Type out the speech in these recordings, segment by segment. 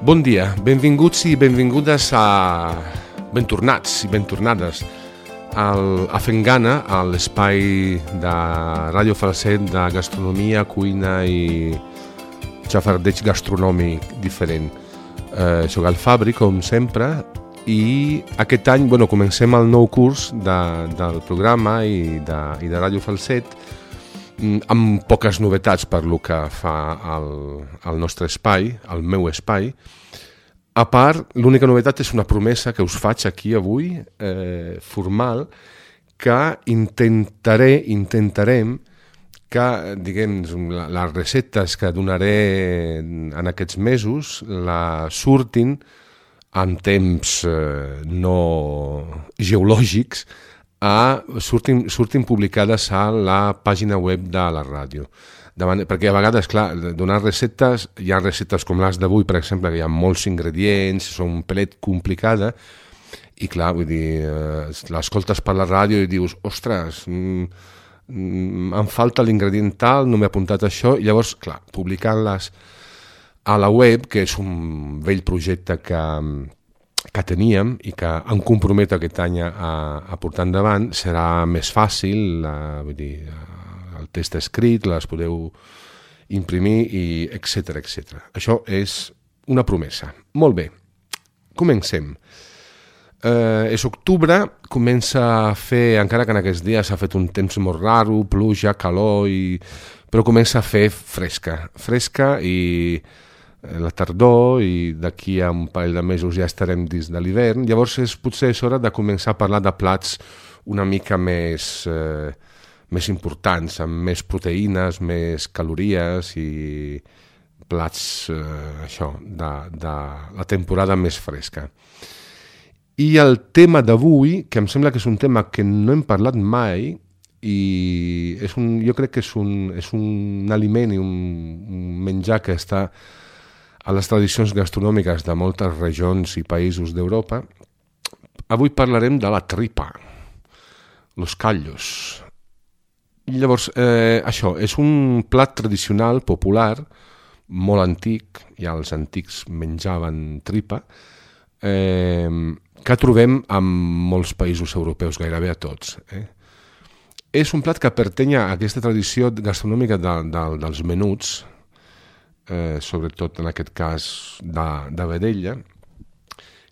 Bon dia, benvinguts i benvingudes ben tornats i ben tornades a Fent Gana, a l'espai de Ràdio Falset de gastronomia, cuina i xafardeig gastronòmic diferent. Soc el Fabri, com sempre, i aquest any comencem el nou curs del programa i de Ràdio Falset amb poques novetats per lo que fa al nostre espai, al meu espai. A part, l'única novetat és una promesa que us faig aquí avui, formal, que intentarem que, diguem, les receptes que donaré en aquests mesos surtin en temps no geològics, surtin publicades a la pàgina web de la ràdio. Perquè a vegades, clar, donar receptes, hi ha receptes com les d'avui, per exemple, que hi ha molts ingredients, són un pelet complicada, i clar, vull dir, l'escoltes per la ràdio i dius, ostres, em falta l'ingredient tal, no m'he apuntat això, i llavors, clar, publicant-les a la web, que és un vell projecte que teníem i que em comprometo aquest any a portar endavant, serà més fàcil, vull dir, el text escrit, les podeu imprimir, i etcètera, etcètera. Això és una promesa. Molt bé, comencem. És octubre, comença a fer, encara que en aquests dies ha fet un temps molt raro, pluja, calor, però comença a fer fresca i la tardor, i d'aquí a un parell de mesos ja estarem dins de l'hivern. Llavors potser és hora de començar a parlar de plats una mica més importants, amb més proteïnes, més calories i plats de la temporada més fresca. I el tema d'avui, que em sembla que és un tema que no hem parlat mai, i jo crec que és un aliment i un menjar que està a les tradicions gastronòmiques de moltes regions i països d'Europa. Avui parlarem de la tripa, los callos. Llavors, això és un plat tradicional, popular, molt antic, ja els antics menjaven tripa, que trobem en molts països europeus, gairebé a tots. És un plat que pertany a aquesta tradició gastronòmica dels menuts, sobretot en aquest cas de vedella,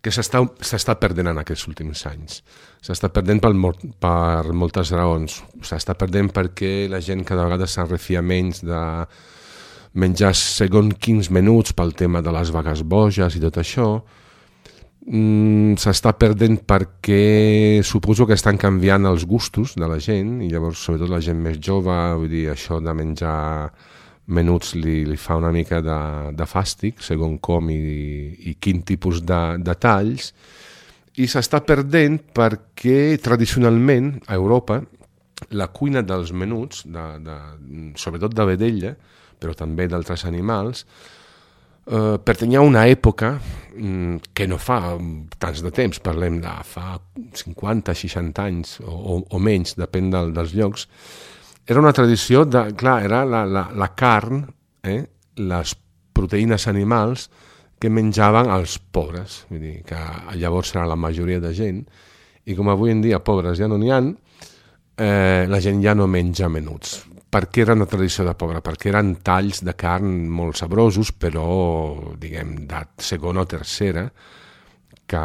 que s'està perdent en aquests últims anys. S'està perdent per moltes raons. S'està perdent perquè la gent cada vegada s'enrefia menys de menjar segons quins menuts pel tema de les vagues boges i tot això. S'està perdent perquè suposo que estan canviant els gustos de la gent, i llavors sobretot la gent més jove, vull dir, això de menjar menuts li fa una mica de fàstic, segons com i quin tipus de talls, i s'està perdent perquè tradicionalment a Europa la cuina dels menuts, sobretot de vedella, però també d'altres animals, pertanyia a una època que no fa tants de temps, parlem de fa 50, 60 anys o menys, depèn dels llocs. Era una tradició era la carn, les proteïnes animals que menjaven els pobres, vull dir que llavors era la majoria de gent, i com avui en dia pobres ja no n'hi ha, la gent ja no menja menuts. Per què era una tradició de pobre? Perquè eren talls de carn molt sabrosos, però, diguem, de segona o tercera, que,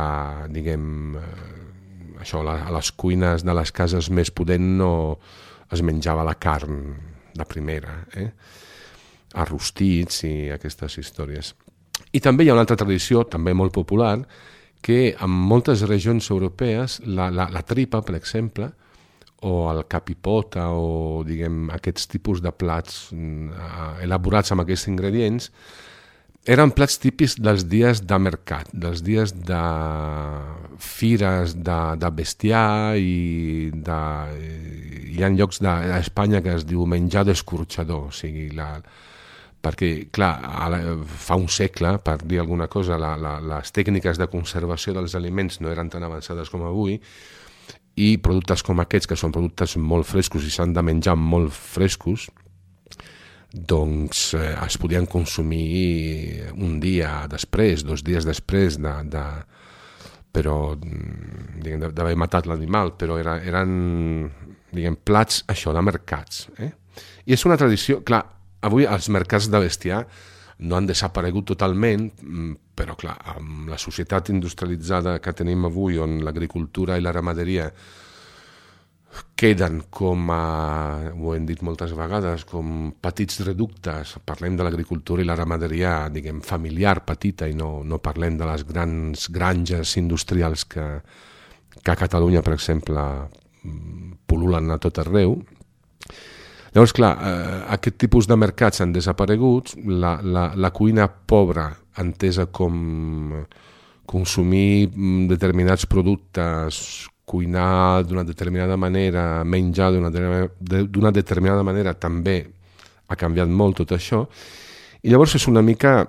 diguem, a les cuines de les cases més pudents no es menjava la carn de primera, arrostits i aquestes històries. I també hi ha una altra tradició, també molt popular, que en moltes regions europees la tripa, per exemple, o el capipota, o diguem aquests tipus de plats elaborats amb aquests ingredients, eren plats típics dels dies de mercat, dels dies de fires de bestiar, i hi ha llocs d'Espanya que es diu menjar d'escorxador, o sigui, perquè, clar, fa un segle, per dir alguna cosa, les tècniques de conservació dels aliments no eren tan avançades com avui, i productes com aquests, que són productes molt frescos i s'han de menjar molt frescos, doncs es podien consumir un dia després, 2 dies després d'haver matat l'animal, però eren plats això, de mercats. I és una tradició, clar, avui els mercats de bestiar no han desaparegut totalment, però clar, amb la societat industrialitzada que tenim avui, on l'agricultura i la ramaderia queden com ho hem dit moltes vegades, com petits reductes. Parlem de l'agricultura i la ramaderia, familiar, petita, i no parlem de les grans granges industrials que a Catalunya, per exemple, pul·lulen a tot arreu. Llavors, clar, aquest tipus de mercats han desaparegut, la cuina pobra, entesa com consumir determinats productes, cuinar d'una determinada manera, menjar d'una determinada manera, també ha canviat molt tot això, i llavors és una mica,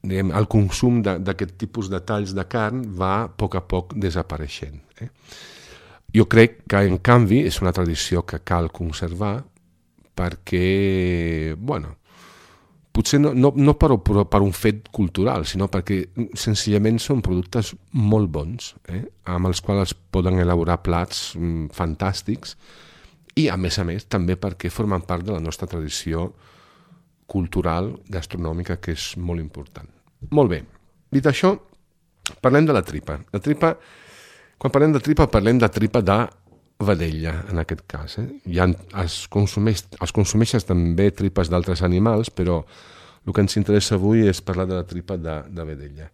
el consum d'aquest tipus de talls de carn va a poc desapareixent. Jo crec que, en canvi, és una tradició que cal conservar, perquè, potser no per un fet cultural, sinó perquè senzillament són productes molt bons, amb els quals es poden elaborar plats fantàstics, i a més també perquè formen part de la nostra tradició cultural, gastronòmica, que és molt important. Molt bé, dit això, parlem de la tripa. Quan parlem de tripa, parlem de tripa de vedella, en aquest cas. Es consumeixen també tripes d'altres animals, però el que ens interessa avui és parlar de la tripa de vedella.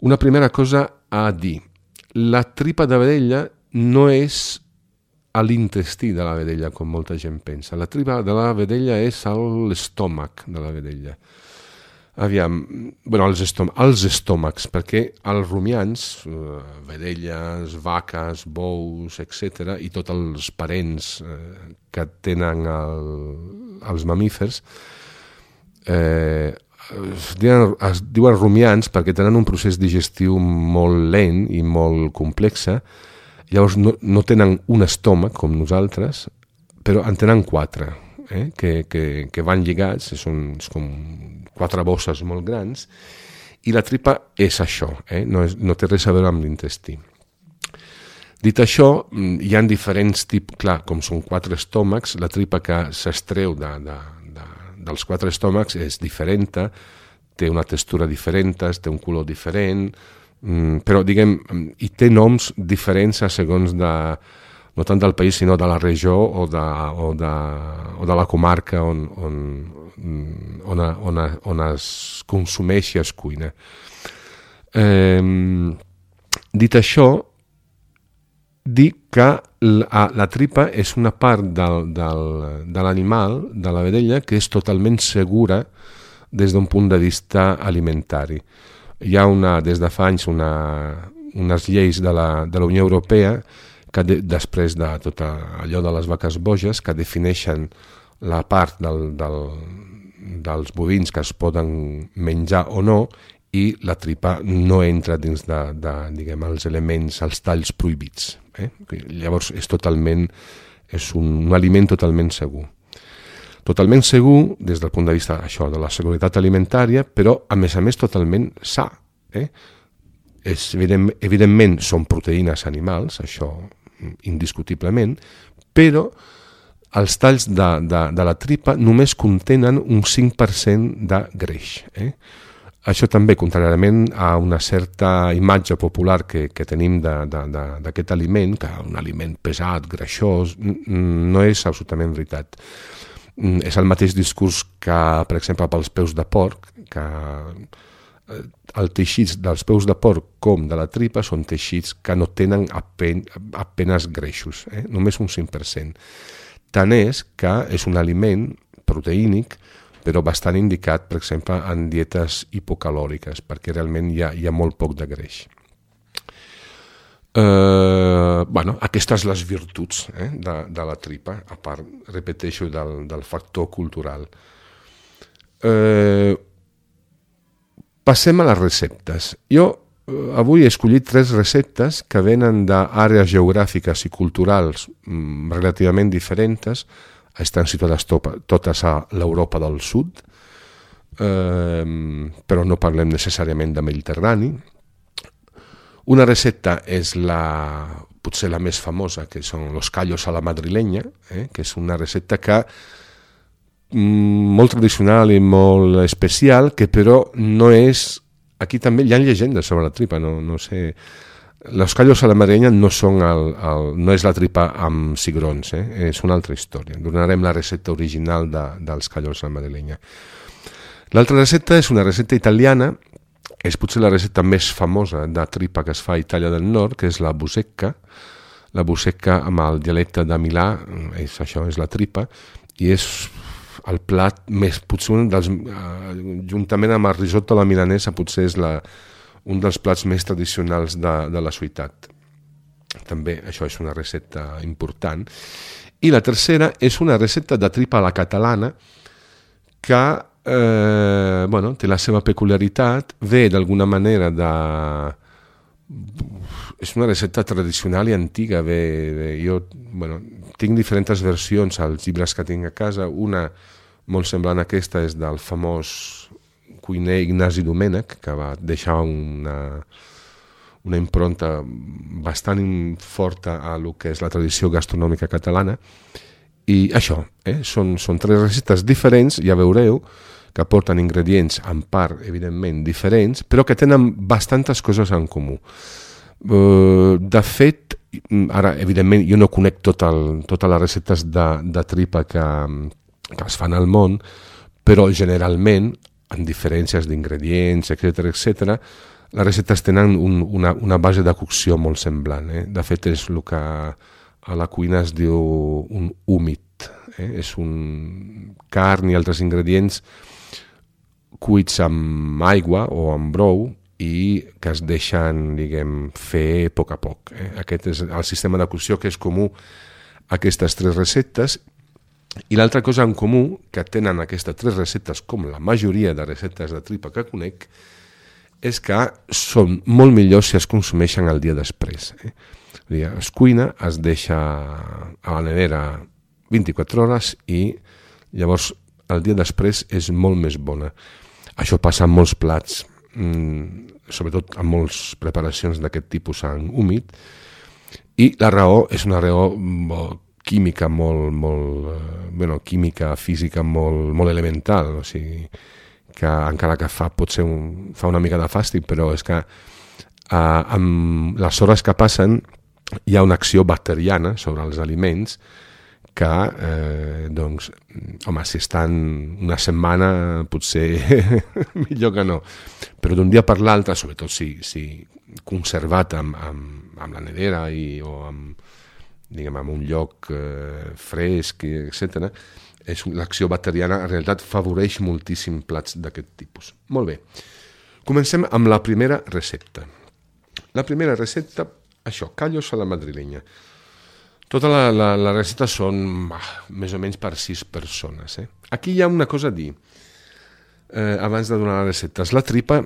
Una primera cosa a dir. La tripa de vedella no és a l'intestí de la vedella, com molta gent pensa. La tripa de la vedella és a l'estómac de la vedella. Els estómacs, perquè els rumiants, vedelles, vaques, bous, etc., i tots els parents que tenen els mamífers, es diuen rumiants perquè tenen un procés digestiu molt lent i molt complex. Llavors no tenen un estómac com nosaltres, però en tenen 4, que van lligats, són com 4 bosses molt grans, i la tripa és això, no té res a veure amb l'intestí. Dit això, hi ha diferents tipus, clar, com són 4 estómacs, la tripa que s'estreu dels 4 estómacs és diferent, té una textura diferent, té un color diferent, però i té noms diferents a segons no tant del país, sinó de la regió o de la comarca on es consumeix i es cuina. Dit això, dir que la tripa és una part de l'animal, de la vedella, que és totalment segura des d'un punt de vista alimentari. Hi ha des de fa anys unes lleis de la Unió Europea que després de tot allò de les vaques boges, que defineixen la part dels bovins que es poden menjar o no, i la tripa no entra dins els elements, els talls prohibits. Llavors és un aliment totalment segur. Totalment segur des del punt de vista de la seguretat alimentària, però a més totalment sa. Evidentment són proteïnes animals, això indiscutiblement, però els talls de la tripa només contenen un 5% de greix. Això també, contràriament a una certa imatge popular que tenim d'aquest aliment, que un aliment pesat, greixós, no és absolutament veritat. És el mateix discurs que, per exemple, pels peus de porc, que els teixits dels peus de porc com de la tripa són teixits que no tenen apenas greixos, només un 5%. Tant és que és un aliment proteínic, però bastant indicat, per exemple, en dietes hipocalòriques, perquè realment hi ha molt poc de greix. Aquestes les virtuts de la tripa, a part, repeteixo, del factor cultural. Passem a les receptes. Jo avui he escollit 3 receptes que venen d'àrees geogràfiques i culturals relativament diferents, estan situades totes a l'Europa del Sud, però no parlem necessàriament de Mediterrani. Una recepta és potser la més famosa, que són los callos a la madrileña, que és una recepta que molt tradicional i molt especial, que però no és... Aquí també hi ha llegendes sobre la tripa, no sé... Los callos a la madrileña no és la tripa amb cigrons, és una altra història. Donarem la recepta original dels callos a la madrileña. L'altra recepta és una recepta italiana, és potser la recepta més famosa de tripa que es fa a Itàlia del Nord, que és la busecca. La busecca amb el dialecte de Milà, això és la tripa, i és el plat més, potser un dels, juntament amb el risotto a la milanesa, potser és un dels plats més tradicionals de la ciutat. També això és una recepta important. I la tercera és una recepta de tripa a la catalana que té la seva peculiaritat, ve d'alguna manera és una recepta tradicional i antiga. Jo tinc diferents versions als llibres que tinc a casa. Una molt semblant a aquesta és del famós cuiner Ignasi Domènech, que va deixar una impronta bastant forta a lo que és la tradició gastronòmica catalana. I això, són 3 receptes diferents, ja veureu, que porten ingredients en part, evidentment, diferents, però que tenen bastantes coses en comú. De fet, ara, evidentment, jo no conec totes les receptes de tripa que es fan al món, però generalment, amb diferències d'ingredients, etc., les receptes tenen una base de cocció molt semblant. De fet, és el que a la cuina es diu un húmid. És un carn i altres ingredients cuits amb aigua o amb brou i que es deixen, fer a poc a poc. Aquest és el sistema de cocció que és comú a aquestes 3 receptes. I l'altra cosa en comú que tenen aquestes 3 receptes, com la majoria de receptes de tripa que conec, és que són molt millors si es consumeixen el dia després. Es cuina, es deixa a la nevera 24 hores i llavors el dia després és molt més bona. Això passa en molts plats, sobretot en moltes preparacions d'aquest tipus en húmid, i la raó és una raó química química, física molt elemental, o sigui, que encara que fa una mica de fàstic, però és que amb les hores que passen hi ha una acció bacteriana sobre els aliments que, si estan una setmana potser millor que no, però d'un dia per l'altre, sobretot si conservat amb la nevera o en un lloc fresc, etc., l'acció bacteriana en realitat favoreix moltíssim plats d'aquest tipus. Molt bé, comencem amb la primera recepta. La primera recepta, això, callos a la madrileña. Tota la recepta són més o menys per 6 persones. Aquí hi ha una cosa a dir, abans de donar les receptes. La tripa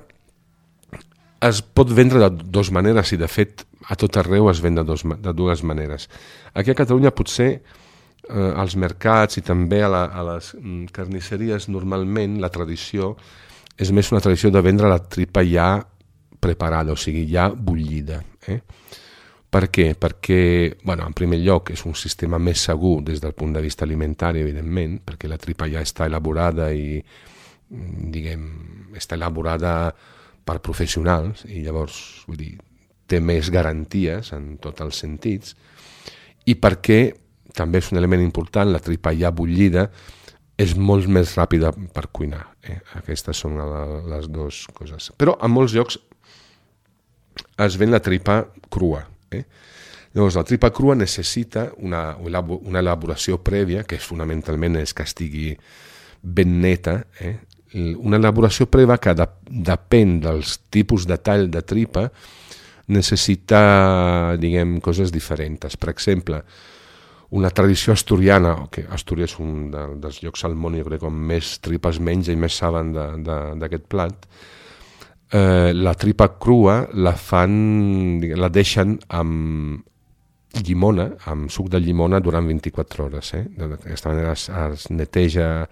es pot vendre de 2 maneres i de fet a tot arreu es ven de 2 maneres. Aquí a Catalunya potser als mercats i també a les carnisseries normalment la tradició és més una tradició de vendre la tripa ja preparada, o sigui, ja bullida. Per què? Perquè, en primer lloc, és un sistema més segur des del punt de vista alimentari, evidentment, perquè la tripa ja està elaborada i, està elaborada per professionals i llavors, té més garanties en tots els sentits, i perquè també és un element important, la tripa ja bullida és molt més ràpida per cuinar. Aquestes són les 2 coses. Però en molts llocs es ven la tripa crua. Llavors, la tripa crua necessita una elaboració prèvia, que fonamentalment és que estigui ben neta, una elaboració prèvia que depèn dels tipus de tall de tripa, necessita, coses diferents. Per exemple, una tradició asturiana, que Astúries és un dels llocs al món, jo crec, on més tripes menja i més saben d'aquest plat, la tripa crua la deixen llimona, amb suc de llimona durant 24 hores. D'aquesta manera es neteja,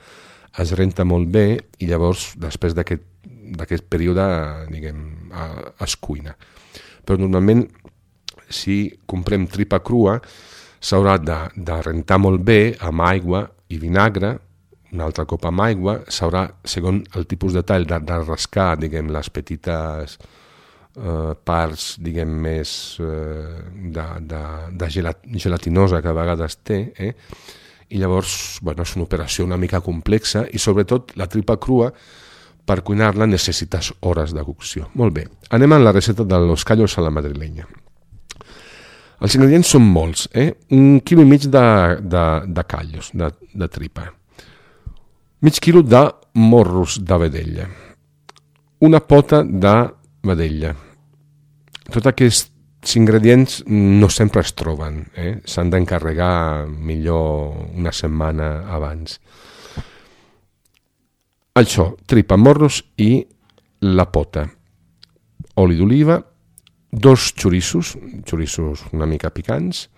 es renta molt bé i llavors després d'aquest període es cuina. Però normalment si comprem tripa crua s'haurà de rentar molt bé amb aigua i vinagre, un altre cop amb aigua, s'haurà, segons el tipus de tall, de rascar les petites parts més de gelatinosa que a vegades té, i llavors és una operació una mica complexa i sobretot la tripa crua per cuinar-la necessites hores de cocció. Molt bé, anem a la recepta de los callos a la madrileña. Els ingredients són molts, 1,5 quilo de callos, de tripa, mig quilo de morros de vedella, una pota de vedella. Tots aquests ingredients no sempre es troben, s'han d'encarregar millor una setmana abans. Això, tripa, morros i la pota, oli d'oliva, 2 xoriços una mica picants,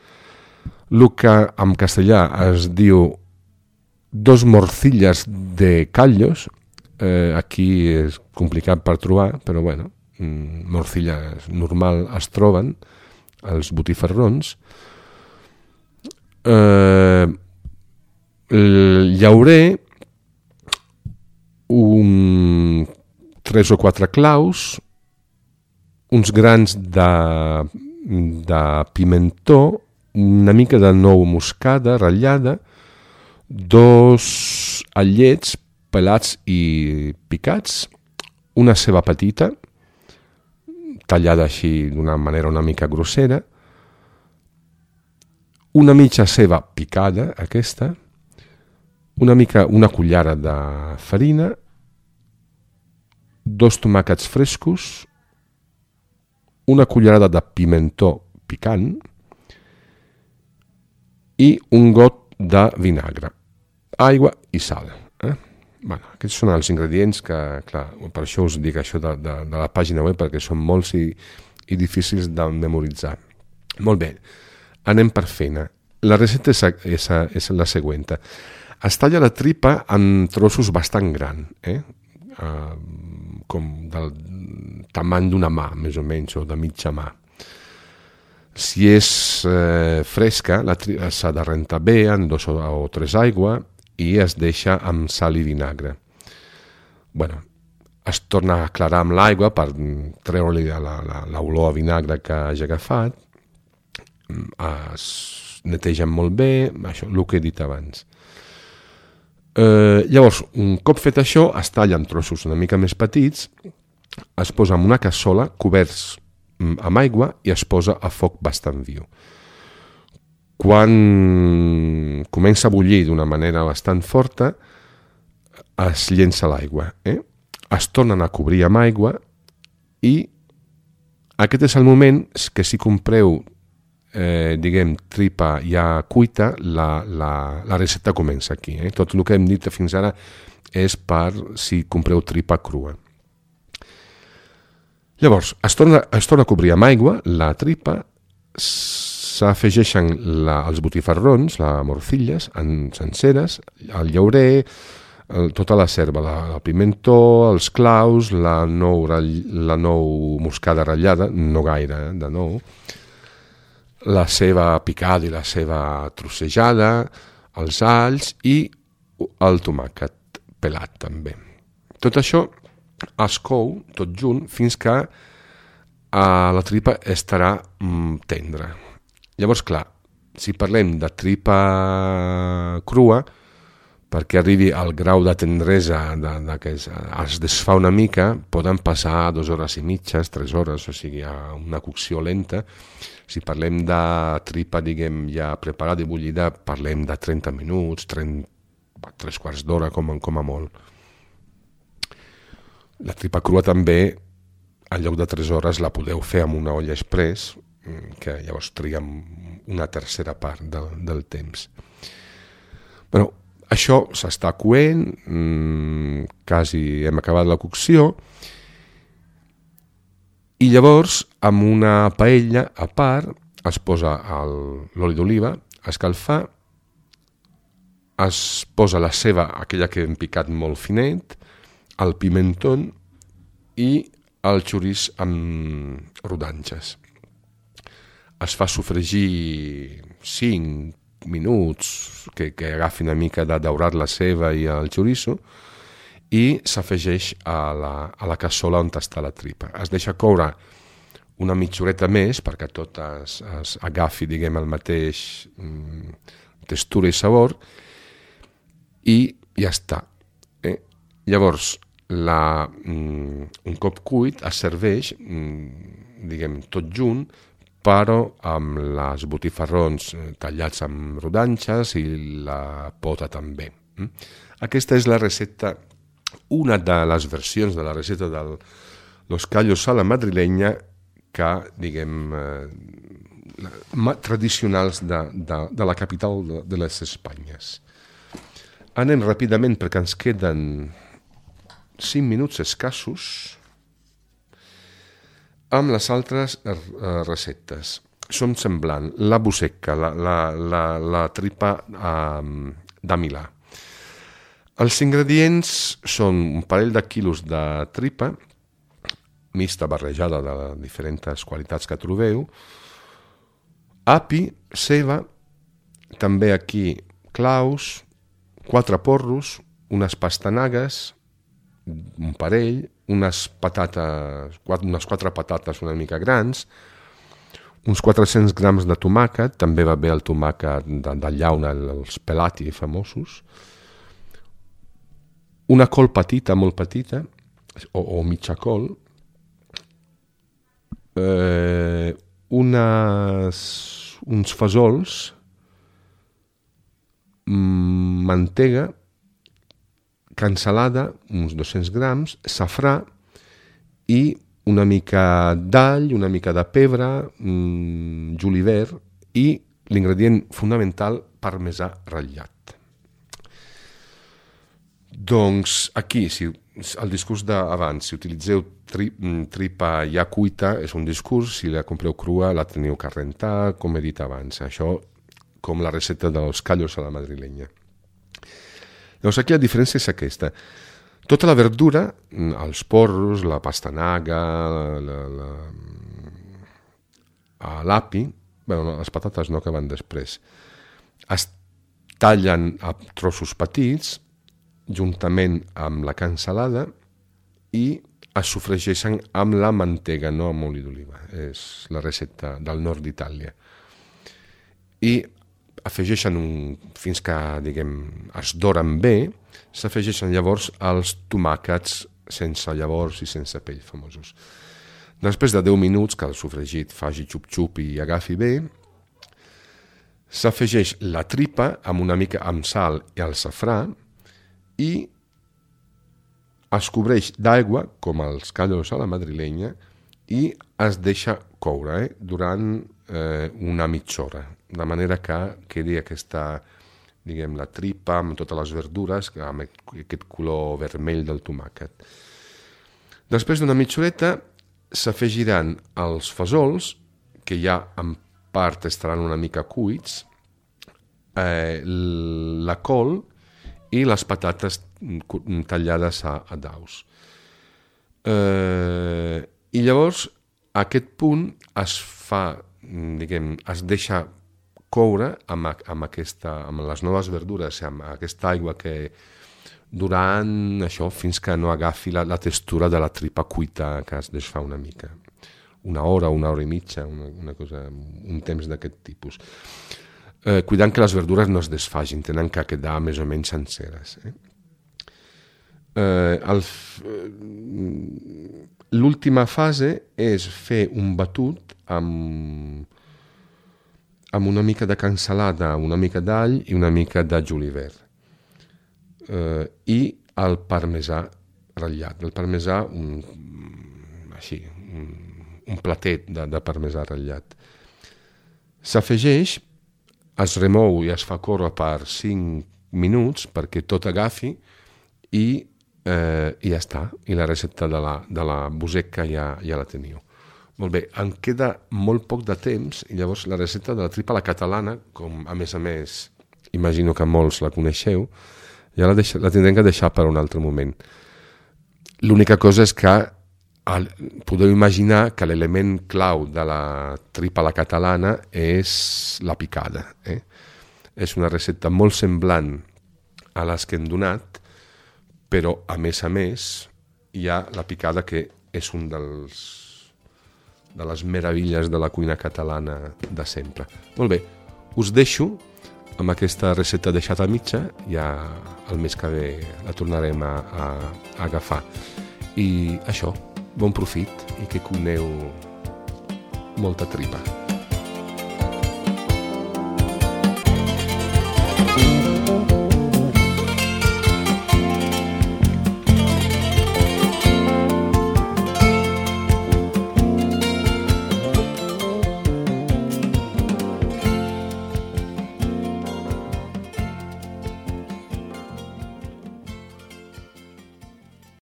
el que en castellà es diu 2 morcillas de callos, aquí és complicat per trobar, però morcilles normal es troben, els botifarrons, llaurer, 3 o 4 claus, uns grans de pimentó, una mica de nou moscada ratllada, 2 allets pelats i picats, una ceba petita, tallada així d'una manera una mica grossera, una mitja ceba picada, aquesta, una cullera de farina, 2 tomàquets frescos, una cullerada de pimentó picant i un got de vinagre, aigua i sal. Aquests són els ingredients que, clar, per això us dic això de la pàgina web, perquè són molts i difícils de memoritzar. Molt bé, anem per feina. La recepta és la següent. Es talla la tripa en trossos bastant grans, com del tamany d'una mà, més o menys, o de mitja mà. Si és fresca, s'ha de rentar bé en 2 o 3 aigua i es deixa amb sal i vinagre. Es torna a aclarar amb l'aigua per treure-li l'olor a vinagre que hagi agafat, es netegen molt bé, això, el que he dit abans. Llavors, un cop fet això, es talla en trossos una mica més petits, es posa en una cassola coberts amb aigua i es posa a foc bastant viu. Quan comença a bullir d'una manera bastant forta, es llença l'aigua. Es tornen a cobrir amb aigua i aquest és el moment que si compreu tripa ja cuita, la recepta comença aquí. Tot el que hem dit fins ara és per si compreu tripa crua. Llavors, es torna a cobrir amb aigua la tripa, s'afegeixen els botifarrons, les morcilles, senceres, el llaurer, tota la serva, el pimentó, els claus, la nou moscada ratllada, no gaire, de nou, la ceba picada i la ceba trossejada, els alls i el tomàquet pelat també. Tot això es cou tot junt fins que la tripa estarà tendra. Llavors, clar, si parlem de tripa crua, perquè arribi al grau de tendresa que es desfà una mica, poden passar 2 hores i mitges, 3 hores, o sigui, una cocció lenta. Si parlem de tripa, ja preparada i bullida, parlem de 30 minuts, 3 quarts d'hora com a molt. La tripa crua també, en lloc de 3 hores, la podeu fer amb una olla express, que llavors triga una tercera part del temps. Però això s'està coent, quasi hem acabat la cocció, i llavors amb una paella a part es posa l'oli d'oliva a escalfar, es posa la ceba, aquella que hem picat molt finet, el pimentón i el xoriç amb rodanxes. Es fa sofregir 5 minuts, que agafi una mica de daurat la ceba i el xoriço, i s'afegeix a la cassola on està la tripa. Es deixa coure una mitja horeta més perquè tot es agafi, diguem, el mateix textura i sabor, i ja està. Llavors, un cop cuit es serveix, diguem, tot junt, però amb les botifarrons tallats amb rodanxes i la pota també. Aquesta és la recepta, una de les versions de la recepta de los callos a la madrileña que, diguem, tradicionals de la capital de les Espanyes. Anem ràpidament perquè ens queden 5 minuts escassos amb les altres receptes. Són semblant, la busecca, la tripa de Milà. Els ingredients són un parell de quilos de tripa, mixta, barrejada de diferents qualitats que trobeu, api, ceba, també aquí claus, 4 porros, unes pastanagues, un parell, unes 4 patates una mica grans, uns 400 grams de tomàquet, també va bé el tomàquet de llauna, els pelati famosos, una col petita, molt petita, o mitja col, uns fesols, mantega, cansalada, uns 200 grams, safrà i una mica d'all, una mica de pebre, julivert i l'ingredient fonamental, parmesà ratllat. Doncs aquí, el discurs d'abans, si utilitzeu tripa ja cuita, és un discurs, si la compreu crua la teniu que rentar, com he dit abans, això com la recepta dels callos a la madrileña. Llavors aquí la diferència és aquesta. Tota la verdura, els porros, la pastanaga, l'api, les patates no, que van després, es tallen a trossos petits, juntament amb la cansalada, i es sofregeixen amb la mantega, no amb oli d'oliva. És la recepta del nord d'Itàlia. I afegeixen fins que, diguem, es doren bé, s'afegeixen llavors els tomàquets sense llavors i sense pell famosos. Després de 10 minuts que el sofregit faci xup-xup i agafi bé, s'afegeix la tripa amb una mica amb sal i el safrà i es cobreix d'aigua, com els callos a la madrileña, i es deixa coure durant una mitja hora, de manera que quedi aquesta, diguem, la tripa amb totes les verdures, amb aquest color vermell del tomàquet. Després d'una mitja horeta s'afegiran els fesols, que ja en part estaran una mica cuits, la col i les patates tallades a daus. I llavors a aquest punt es fa, diguem, es deixa coure amb les noves verdures, amb aquesta aigua, que durant això fins que no agafi la textura de la tripa cuita, que es desfà una mica. Una hora i mitja, un temps d'aquest tipus. Cuidant que les verdures no es desfagin, tenen que quedar més o menys senceres. L'última fase és fer un batut amb una mica de cansalada, una mica d'all i una mica de julivert. I el parmesà ratllat. El parmesà, un platet de parmesà ratllat. S'afegeix, es remou i es fa córrer per 5 minuts perquè tot agafi i ja està. I la recepta de la busecca ja la teniu. Molt bé, em queda molt poc de temps i llavors la recepta de la tripa a la catalana, com a més, imagino que molts la coneixeu, ja la tindrem que deixar per un altre moment. L'única cosa és que podeu imaginar que l'element clau de la tripa a la catalana és la picada. És una recepta molt semblant a les que hem donat, però a més hi ha la picada, que és un de les meravilles de la cuina catalana de sempre. Molt bé, us deixo amb aquesta recepta deixada a mitja, ja el mes que ve la tornarem a agafar. I això, bon profit i que cuineu molta tripa.